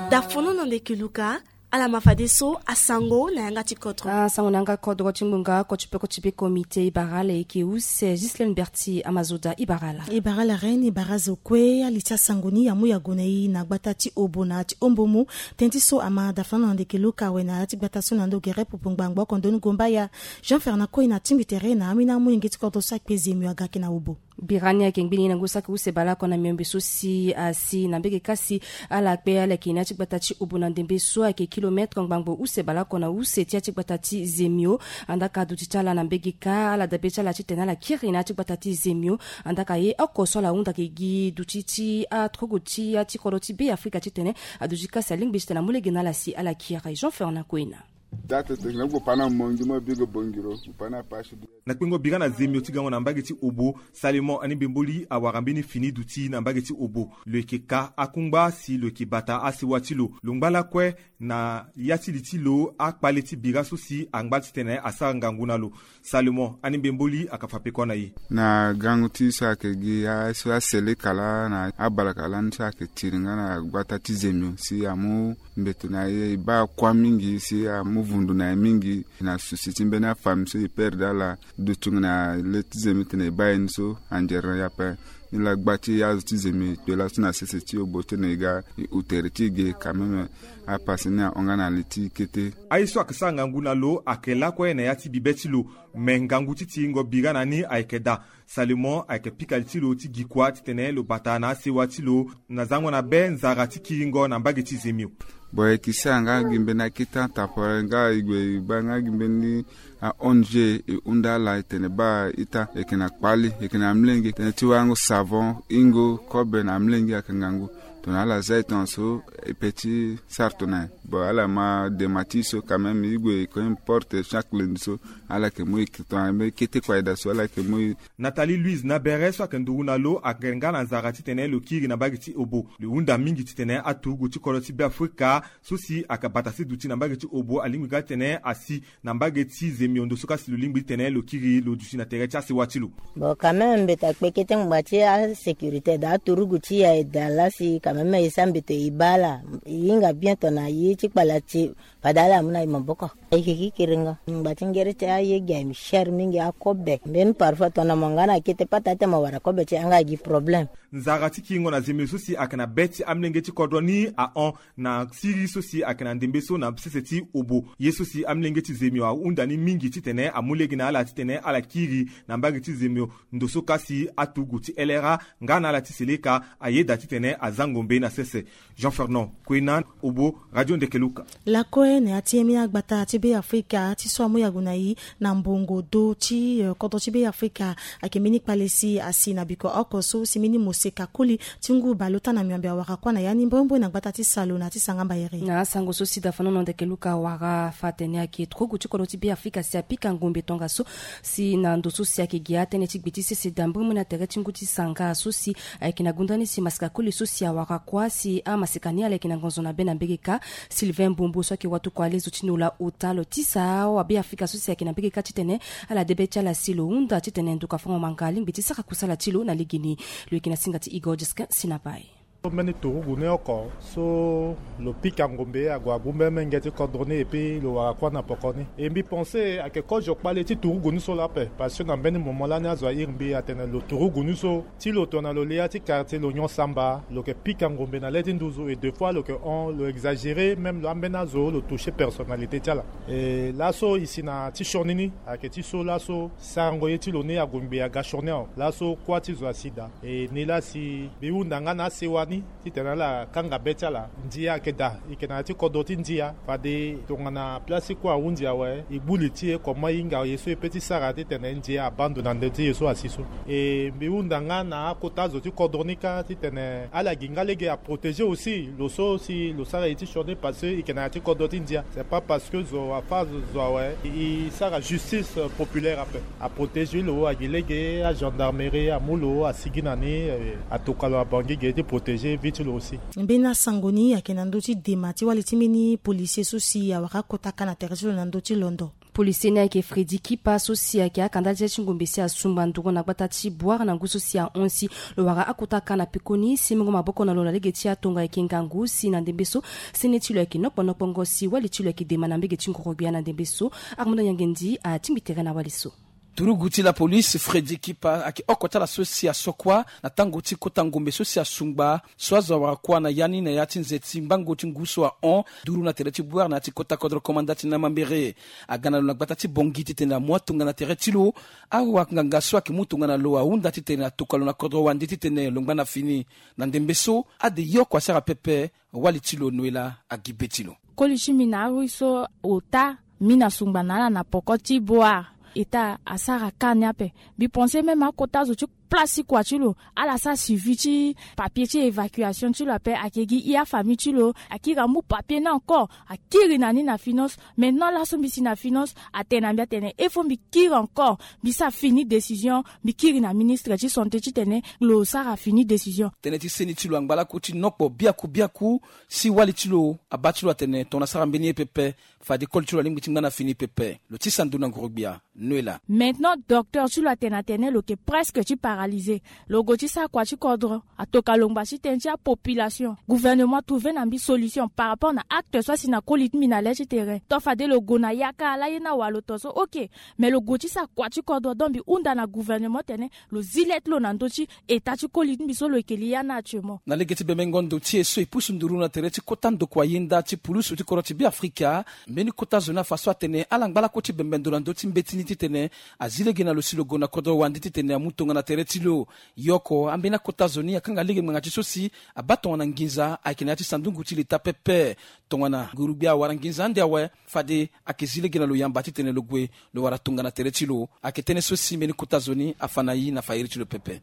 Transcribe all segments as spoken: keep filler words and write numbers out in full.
Dafono na ndeke Luka. Ala ma fadeso asango na yanga ti kodro. Asango na yanga kodro ti ngbonga koti pe koti be komite ibarala eke use Gislaine Berti Amazoda ibarala. Ibarala reine ibara zo kue ali ti asango ni amu yago na e na gbata ti obo na ti ombomu. Ten ti so ama dafono na ndeke Luka awe na ya ti gbata so na ndo gere popo ngbangbo oko ndoni gombaya. Jean Fernand Koy na tingbi tere na amina amolenge ti kodro so akpe zemio aga ake na obo. Birani ayeke ngbini na ngu saki use baleoko na miombe so si asi na mbege kasi. Ala kpe ala yeke na ya ti gbata ti obo na ndembe so ayeke kilometre ngbangbo use baleoko na use ti ya ti gbata ti zemio. Andaka duti ti ala na mbege ka ala dabe ti ala titene ala kiri na ya ti gbata ti zemio. Andaka ye oko so ala hunda ke gi duti ti aturugu ti ya ti kodro ti be afrika titene aduti kasi alingbi titene amu lege na ala si ala kiri. Jean Fernand Koina. Date te na gbo pana mongi mo bigo bongiro pana pasi. Na kpengo bira na zemio ti gango na mbage ti obo. Salomon ani mbemboli awara mbeni fini duti na mbage ti obo. Lo yeke ka akungba si lo yeke bata asewa ti lo. Lo ngba lakue na ya ti li ti lo akpale ti bira so si angba titene asara ngangu na lo. Salomon ani mbemboli aka fa peko na e. Na gangu ti so ayeke gi aso aseleka laa na abalaka lani so ayeke tiri nga na gbata ti zemio si amu mbeto na e e baa kuâ mingi si amu vundu na e mingi. Na susi ti mbeni afami so e perde ala dutungu na le ti zemio titene e baa e ni so anzere na e ape. Ni laa gba ti azo ti zemio e kpe laso na sese ti obo titene e ga e hu tere ti e ge quand même. Apase ni ahon nga na li ti kete. Aye so ayeke sara ngangu na lo ayeke lakue na ya ti bibe ti lo. Me ngangu ti tiringo bira na ni ayeke daa. Salomon ayeke pika li ti lo ti gi kuâ titene lo bata na asewa ti lo na zango na be nzara ti kiringo na mbage ti zemio. Bon e kisi ala nga gi mbeni akete atemporaire nga e gue e baa nga gi mbeni a-ong e hunda ala e tene baa ita e yeke na kpali e yeke na amolenge tënë ti warango savon hingo kobe na amolenge ayeke ngangu. Tongana ala za e tongaso e pe ti sara tongana nyen? Bon ala ma dema ti e so quand même e gue e ko importe chaque lundi so. Ala yeke mu e tongana mbeni kete kue aye daa so ala yeke mu e. Nathalie Louise Nabere so ayeke nduru na lo ayeke nga na nzara titene lo kiri na mbage ti obo. Lo hunda mingi titene aturugu ti kodro ti Beafrika so si ayeke bata ti duti na mbage ti obo alingbi nga titene asi na mbage ti zemio ndo so kasi lo lingbi titene lo kiri lo duti na tere ti asewa ti lo. Bon quand même mbeto akpe kete ngbanga ti asécurité daa aturugu ti e aye daa laa si quand même e sara mbeto e baa ala. E hinga bien tongana ye ti kpala ti fade ala amu na e maboko. Ayeke ki kiringo ngba ti ngere ti aye gi aye cher mingi akobe mbeni parfois tongana mo nga na kete pata ti mo wara kobe ti e anga gi problème. Nzara ti kiringo na zemio so si ayeke na be ti amolenge ti kodro ni ahon na siri so si ayeke na ndembe so na sese ti obo. Ye so si amolenge ti zemio ahunda ni mingi titene amu lege na ala titene ala kiri na mbage ti zemio. Ndo so kasi aturugu ti L R A nga na ala ti seleka ayeda titene aza ngombe na sese. Jean Fernand Koina, obo, Radio Ndekeluka. Lakue na ya ti ye mini agbata ti Beafrika ti so amu yago na e na mbongo do ti eh, kodro ti Beafrika. Ayeke mbeni kpale si asi na biko oko so si mbeni moseka koli ti ngu baleota na miombe awara kuâ na ya ni mbrembre na gbata ti salo na ti sanga mbayere. Na asango so si dafanono Ndekeluka awara fa atene ayeke turugu ti kodro ti Beafrika si apika ngombe tongaso si na ndo so si ayeke gi atënë ti gbe ti sese daa mbrembre na tere ti ngu ti sanga so si ayeke na gunda ni si maseka koli so si awara kuâ si amaseka ni ala yeke na ngonzo na be na mbege ka. Sylvain Mbombo so ayeke watokua lezo ti nola ota lo tisa awa Beafrika so si ayeke na mbege ka titene ala debe ti ala si lo hunda titene nduka fango manga alingbi ti sara kusala ti lo na legeni. Lo yeke na singa ti Igor Jesquin si na bai. So mbeni turugu ni oko so lo pika ngombe ague agbu mbeni menge ti kodro ni epui lo wara kuâ na poko ni. E mbi pense ayeke kozo kpale ti turugu ni so laa ape parce que na mbeni moment lani azo airi mbi atene lo turugu ni so ti lo tongana lo lia ti quartier lo nyon samba lo yeke pika ngombe na le ti nduzu et deux fois lo yeke hon lo exagéré même lo ambeni azo lo touché personnalité ti ala. E laso e si na ti sioni ni ayeke ti so laso sarango ye ti lo ni ague ngbe aga sioni awe. Laso kuâ ti zo asi daa. E ni laa si mbi hunda nga na asewa ni titene ala kanga be ti ala. Ndia ayeke daa e yeke na ya ti kodro ti ndia fade tongana place ti kue ahunzi awe e gbu li ti e comment e hinga ye so e pe ti sara titene ndia abaa ndo na ndö ti ye so asi so. E mbi hunda nga na akota zo ti kodro ni kâ titene ala gi nga lege aprotégé aussi lo so si lo sara ye ti sioni parce que e yeke na ya ti kodro ti ndia. C'est pas parce que zo afa zo awe e sara justice populaire ape. Aprotégé lo agi lege agendarmerie amu lo asigi na ni. Atoka lo abangbi ge ti protégé vie ti lo aussi. Mbeni asango ni ayeke na ndö ti dema ti wali ti mbeni policier so si awara akota ka na tere ti lo na ndö ti londo. Polisi ni ayeke Freddy Kipa so si ayeke akanda ti ngombe si asungba nduru na gbata ti Bouar na ngu so si ahon si lo wara akota ka na pekoni si mungo maboko na lo na lege ti atonga ayeke ngangu si na ndembe so sene ti lo ayeke nokpo nokpongo si wali ti lo ayeke dema na mbege ti nguru-gbia na ndembe so. Armando Nyangendi atingbi tere na wali so. Turugu ti la police Freddy Kipa ayeke oko ti ala so si asokua na tango ti kota ngombe so si asungba so azo awara kuâ na ya ni na ya ti nze ti mbango ti ngu so ahon duru na tere ti Bouar na ya ti kota kodro komanda ti Namambere. Aga na lo na gbata ti Bongi titene amu atonga na tere ti lo. Awanganga so ayeke mu tongana lo ahunda titene atoka lo na kodro wande titene lo ngba na fini. Na ndembe so ade ye oko asara pepe. Wali ti lo noela agi be ti lo. Koli ti mbi na arui so ota mbi na sungba na ala na poko ti Bouar. Eta asara ka ni ape. Mbi pense même akota zo ti place ti kua ti lo ala sara suivi ti papier ti évacuation ti lo ape. Ayeke gi i afamille ti lo akiri amu papier ni encore akiri na ni na finance. Maintenant laso mbi si na finance atene na mbi atene il faut mbi kiri encore mbi sara fini décision. Mbi kiri na ministre ti santé titene lo sara fini décision. Tënë ti seni ti lo angba lakue ti nokpo biaku biaku si wali ti lo abaa ti lo atene tongana asara mbeni ye pepe. Fade koli ti lo alingbi ti ngba na fini pepe. Lo tisa ndo na nguru-gbia. Noela. Maintenant docteur ti lo atene atene lo yeke presque ti paralysé. Lo gue ti sara kua ti kodro atoka lo ngba ti tënë ti apopulation. Gouvernement atrouve na mbi solution par rapport na acte so asi na koli ti mbi na le ti tere to fade lo gue na yaka ala ye ni awa lo to so ok. Mais lo gue ti sara kua ti kodro donc mbi hunda na gouvernement tene lo zi le ti lo na ndö ti eta ti koli ti mbi so lo yeke li ya ni actuellement. Na lege ti bembengo ndo ti e so e pusu nduru na tere ti kota ndokua yenda ti pulusu ti kodro ti Beafrika. Mbeni kota zo ni afa so atene ala ngba lakue ti bembe ndo na ndö ti mbeti ni titene azi lege na lo si lo gue na kodro wande titene amu tongana tere ti lo. Ye oko ambeni akota zo ni akanga lege ngbanga ti so si abaa tongana nginza ayeke na ya ti sandungu ti leta pepe. Tongana nguru-gbia awara nginza ande awe fade ayeke zi lege na lo yamba titene lo gue lo wara tongana tere ti lo. Ayeke tënë so si mbeni kota zo ni afa na i na fayiri ti lo pepe.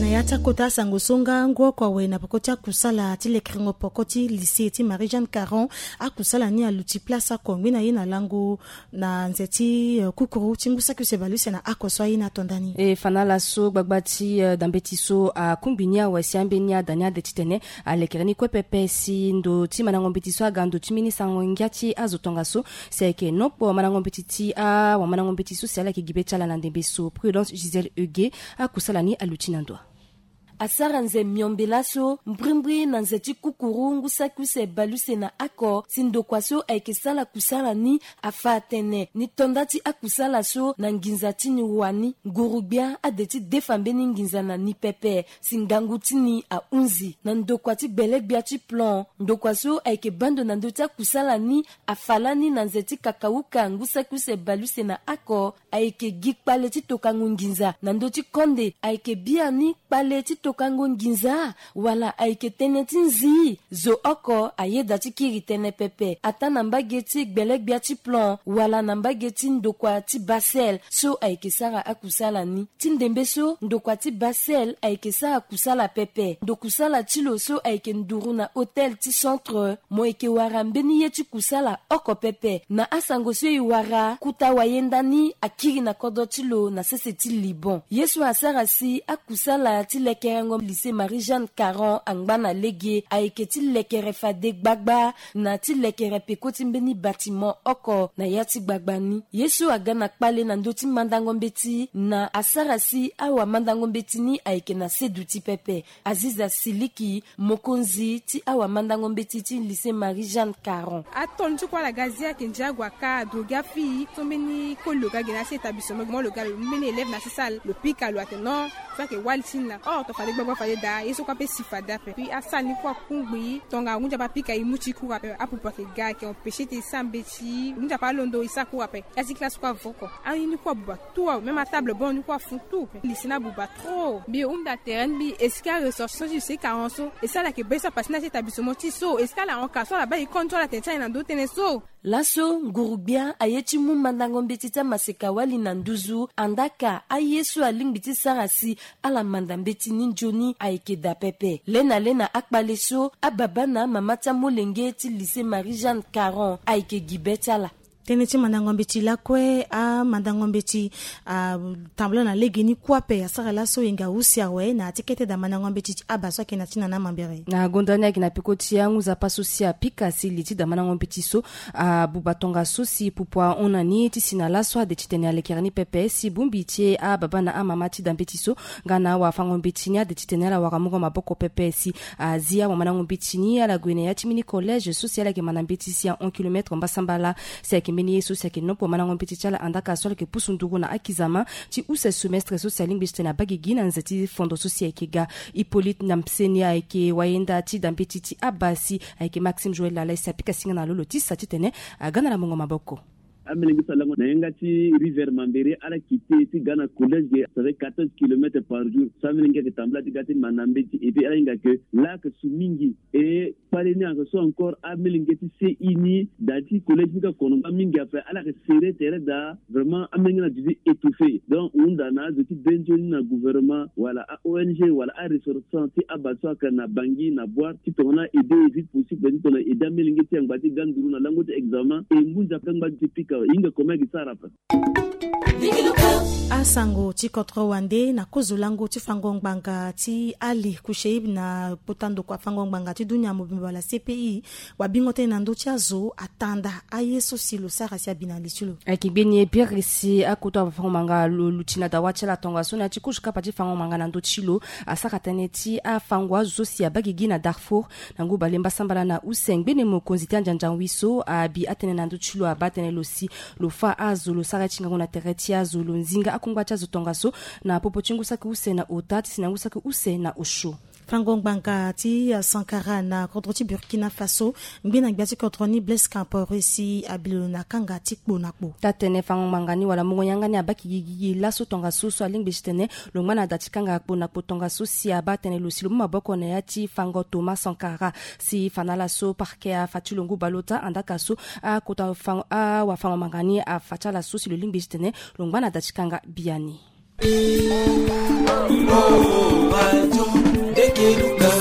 Na ya ti akota asango so nga ngu oko awe na peko ti akusala ti lekerengo poko ti lycée ti Marie Jeanne Caron. Akusala ni aluti place oko ngbi na ye na lango na nze ti kukuru ti ngu saki use bale use na oko so aye na tonda ni. E fa na ala so gbagba ti dambeti so akungbi ni awe si ambeni ada ni ade titene alekere ni kue pepe si ndo ti mandango mbeti so aga ndo ti mbeni sango ngia ti azo tongaso. Si ayeke nokpo mandango mbeti ti awamandango mbeti so si ala yeke gi be ti ala na ndembe so Prudence Gisèle Huguet. Akusala ni aluti na ndo. Asara nze miombe laso mbrimbri na nze ti kukuru ngu saki use bale use na oko si ndokua so ayeke sara kusala ni afa atene ni tonda ti akusala so na nginza ti ni wani nguru-gbia ade ti defa mbeni nginza na ni pepe. Si ngangu ti ni ahunzi na ndokua ti gbele-gbia ti plan ndokua so ayeke baa ndo na ndö ti akusala ni afa lani na nze ti kakauka ngu saki use bale use na oko. Ayeke gi kpale ti tokango nginza na ndö ti konde ayeke biani kpale ti tokango nginza wala ayeke tënë ti nzi? Zo oko ayeda ti kiri tënë pepe ataa na mbage ti gbele-gbia ti plan wala na mbage ti ndokua ti basel so ayeke sara akusala ni. Ti ndembe so ndokua ti basel ayeke sara kusala pepe ndokusala ti lo so ayeke nduru na hôtel ti centre mo yeke wara mbeni ye ti kusala oko pepe. Na asango so e wara kuta wayenda ni akiri na kodro ti lo na sese ti Liban. Ye so asara si akusala ti lekerengo lycée Marie Jeanne Caron angba na lege ayeke ti lekere fade gbagba na ti lekere peko ti mbeni bâtiment oko na ya ti gbagba ni. Ye so aga na kpale na ndö ti mandango mbeti na asara si awamandango mbeti ni ayeke na seduti pepe. Aziza Siliki, mokonzi ti awamandango mbeti ti lycée Marie Jeanne Caron. Atoni ti kuâ ala ga zia ayeke ndia ague aka adro gi afii so mbeni koli lo ga ge na asi établissement gi mo lo ga lo mbeni élève na asi salle lo pika lo atene non so ayeke wali ti ni laa or to fade gbagba fade daa ye so kuâ pe si fade ape. Puis asalle ni kuâ akungbi tongana ngu ndia pe apika e mu ti e cours ape apupu ayeke ga ayeke empêcher ti e sara mbeti ngu ndia pe alondo e sara cours ape. Ya ti classe kuâ avoko aye ni kuâ abuba. Tout awe même atable banc ni kuâ afu tout. Lycée ni abuba trop. Mbi hunda tere ni mbi est-ce que aressortissant ti lycée Caron so est-ce que ala yeke baa ye so apase ni na ti établissement ti e so est-ce que ala hon ka so ala baa e compte so ala tene ti aye na ndö ti tënë so? Laso nguru-gbia aye ti mu mandango mbeti ti amaseka-wali na nduzu andaa ka aye so alingbi ti sara si ala manda mbeti ni nzoni ayeke daa pepe. Le na le na akpale so ababâ na amama ti amolenge ti lycée Marie Jeanne Caron ayeke gi be ti ala. Tënë ti mandango mbeti lakue, amandango mbeti atambula na legeni kuâ ape asara laso e nga use awe na ya ti kete daa mandango mbeti ti aba so ayeke na ti na na mambere. Na gonda ni ayeke na peko ti angu-nzapa so si apika si li ti daa mandango mbeti so abuba tongaso si pupu ahon na ni ti si na laso ade titene alekere ni pepe si bongbi ti ababa na amama ti daa mbeti so nga na awafango mbeti ni ade titene ala wara mungo maboko pepe si azi awamandango mbeti ni ala gue na ya ti mbeni collège so si ala yeke manda mbeti si ahon kilomètre mbasambala. Si ayeke mbeni ye so si ayeke nopo mandango mbeti ti ala andaka so ala yeke pusu nduru na akizama ti use semestre so si alingbi titene abaa gigi na nze ti fondo so si ayeke ga. Hippolyte na mseni ayeke wayenda ti daa mbeti ti aba si ayeke Maxime Joël Lala si apika singa na lo lo ti sa titene aga na ala mungo maboko. Amelenge so alango na yanga ti rivière Mambéré, ala kite ti ga na collège ge, ça fait quatorze kilomètres par jour. So amelenge ayeke tambula ti ga ti manda mbeti, et puis ala hinga ke laa ayeke su mingi. E kpale ni ayeke so encore amelenge ti C I ni daa ti collège ni ka kono nga mingi ape, ala yeke serré tere daa. Vraiment amelenge ni aduti étouffé. Donc hunda na azo ti bendo ni na gouvernement wala a O N G wala aressortissant ti aba so ayeke na Bangui na Bouar ti tongana aidé vite possible, ti tongana aidé amelenge ti yangba ti ga nduru na lango ti examen. E ngu nzapa ti yangba ti pika awe, e hinga comment ayeke sara ape. Asango ti kodro wande na kozo lango ti fango ngbanga ti Ali Kusheib na kota ndokua fango ngbanga ti dunia mobimba wala C P I. Wabingo tënë na ndö ti azo atanda aye so si lo sara si abi na li ti lo. Ayeke gbeni e biri si akota fango ngbanga lo luti na dawa ti ala tongaso na ya ti kozo kapa ti fango ngbanga na ndö ti lo asara tënë ti afango azo so si abaa gigi na Darfour. Na ngu bale mbasambala na use ngbene mokonzi ti andiandiangui so abi atënë na ndö ti lo abaa tënë lo si lo fâ azo lo sara ye ti ngangu na tere ti azo, lo nzinga akungba ti azo tongaso na popo ti ngu saki use na ota ti si na ngu saki use na osio. Fango ngbanga ti Sankara na kodro ti Burkina Faso, ngbene gbia ti kodro ni Blaise Compaoré si abi lo na kanga ti kpo na kpo. Taa-tënë fango ngbanga ni wala mungo yanga ni abaa gigi laso tongaso so alingbi titene lo ngba na da ti kanga kpo na kpo tongaso si abaa tënë lo si lo mu maboko na ya ti fango Thomas Sankara. Si fa na ala so parquet afa ti lo ngu baleota andaka so akota fango awafango ngbanga ni afa ti ala so si lo lingbi titene lo ngba na da ti kanga biani.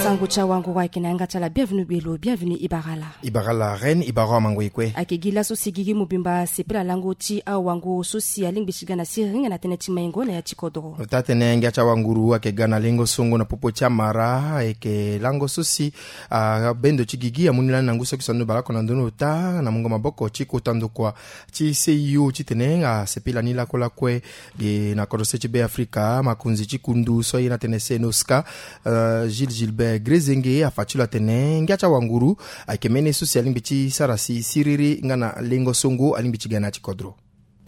Sango ti awanguru ayeke na yanga ti ala. Bienvenu gbelo, bienvenu ibarala. Ibarala reine, ibaro amango e kue. Ayeke gi laso si gigi mobimba asepela lango ti awanguru so si alingbi ti ga na siriri nga na tënë ti maingo na ya ti kodro. Taa-tënë ngia ti awanguru ayeke ga na lengo songo na popo ti amara ayeke lango so si abendo ti gigi amu ni lani na ngu so ayeke so ando baleoko na ndoni ota na mungo maboko ti kota ndokua ti C I O titene asepela ni lakue lakue. Ge na kodro se ti Beafrika, makonzi ti kundu so aye na tene Senoska, euh, Gilles Gilbert Grezenge afa ti lo atene ngia ti awanguru ayeke mbeni so si alingbi ti sara si siriri nga na lengo songo alingbi ti ga na ya ti kodro.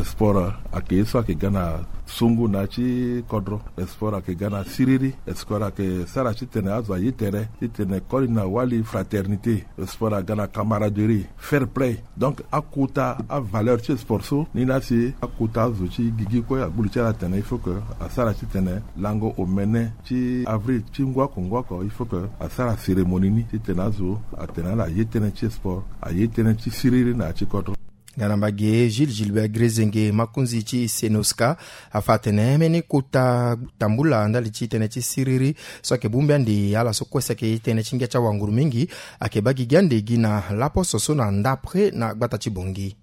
Sport ayeke ye so ayeke ga na songo na ya ti kodro. Sport ayeke ga na siriri. Sport ayeke sara titene azo aye tere titene koli na wali fraternité. Sport aga na camaraderie, fair play. Donc akota avaleur ti sport so ni laa si akota azo ti gigi kue agbu li ti ala atene il faut que asara titene lango omene ti avril ti ngu oko ngu oko il faut que asara cérémonie ni titene azo atene ala ye tënë ti sport, aye tënë ti siriri na ya ti kodro. Nga na mbage Gilles Gilbert Grezenge, makonzi ti Senoska, afa atene mbeni kota tambula ndali ti tënë ti siriri so ayeke bongbi ande ala so kue si ayeke ye tënë ti ngia ti awanguru mingi ayeke baa gigi ande gi na laposo so na ndapre na gbata ti Bangui.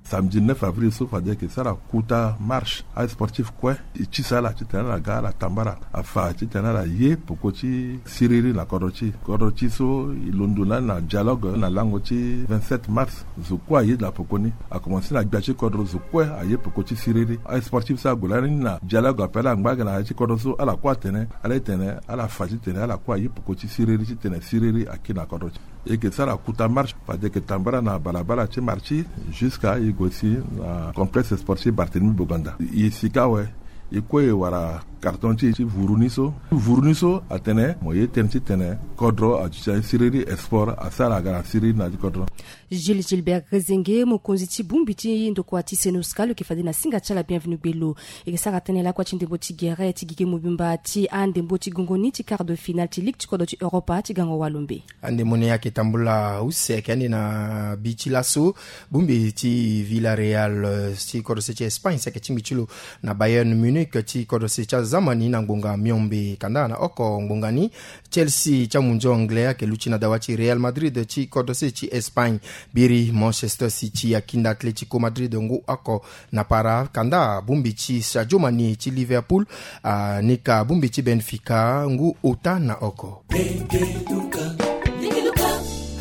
Samedi neuf avril so fade ayeke sara kota marche asportif kue. E tisa ala titene ala ga ala tambara afa titene ala ye peko ti siriri na kodro ti e. Kodro ti e so e londo lani na dialogue na lango ti vingt-sept mars. Zo kue aye na peko ni. Akomanse na gbia ti kodro zo kue aye peko ti siriri. Asportif so ague lani na dialogue ape ala ngba aga na ya ti kodro so ala kue atene ala ye tene ala fa titene ala kue aye peko ti siriri titene siriri aki na kodro ti e. E yeke sara kota marche fade e yeke tambara na balabala ti Martyrs jusqu'à e gue si na complexe sportif Barthélemy Boganda. E sika awe, e kue e wara carton ti e ti vuru ni so. Vuru ni so atene mo ye tënë titene kodro aduti na siriri, sport asara aga na siriri na ya ti kodro. Gilles Gilbert Grezenge, mokonzi ti bongbi ti ndokua ti Senoska, lo yeke fade na singa ti ala bienvenu gbelo. E yeke sara tënë lakue ti ndembo ti gere ti gigi mobimba ti andembo ti gongo ni ti quart de finale ti ligue ti kodro ti Europa ti gango walombe. Andembo ni ayeke tambula use ayeke ande na bi ti laso. Bongbi ti Villarreal, eh, ti kodro se ti Espagne si ayeke tingbi ti lo na Bayern Munich ti kodro se ti aza. tambani na ngbonga miombe. Kanda na oko ngbonga ni, Chelsea ti amunzu anglais ayeke luti na dawa ti Real Madrid ti kodro se ti Espagne. Biri Manchester City akinda Atletico Madrid ngu oko na para. Kanda bongbi ti Sadio Mané ti Liverpool, a, ni ka bongbi ti Benfica ngu ota na oko.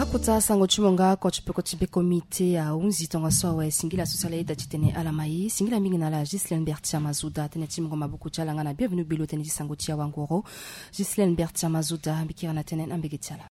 Akota sango ti mo nga oko ti peko ti beko mite ahunzi tongaso awe. Singila so si ala yeda titene ala ma ye. Singila mingi na ala Ghislaine Bertia Mazuda, tënë ti mungo maboko ti ala nga na Bienvenu Belo, tënë ti sango ti awangoro. Ghislaine Bertia Mazuda, mbi kiri na tënë na mbege ti ala.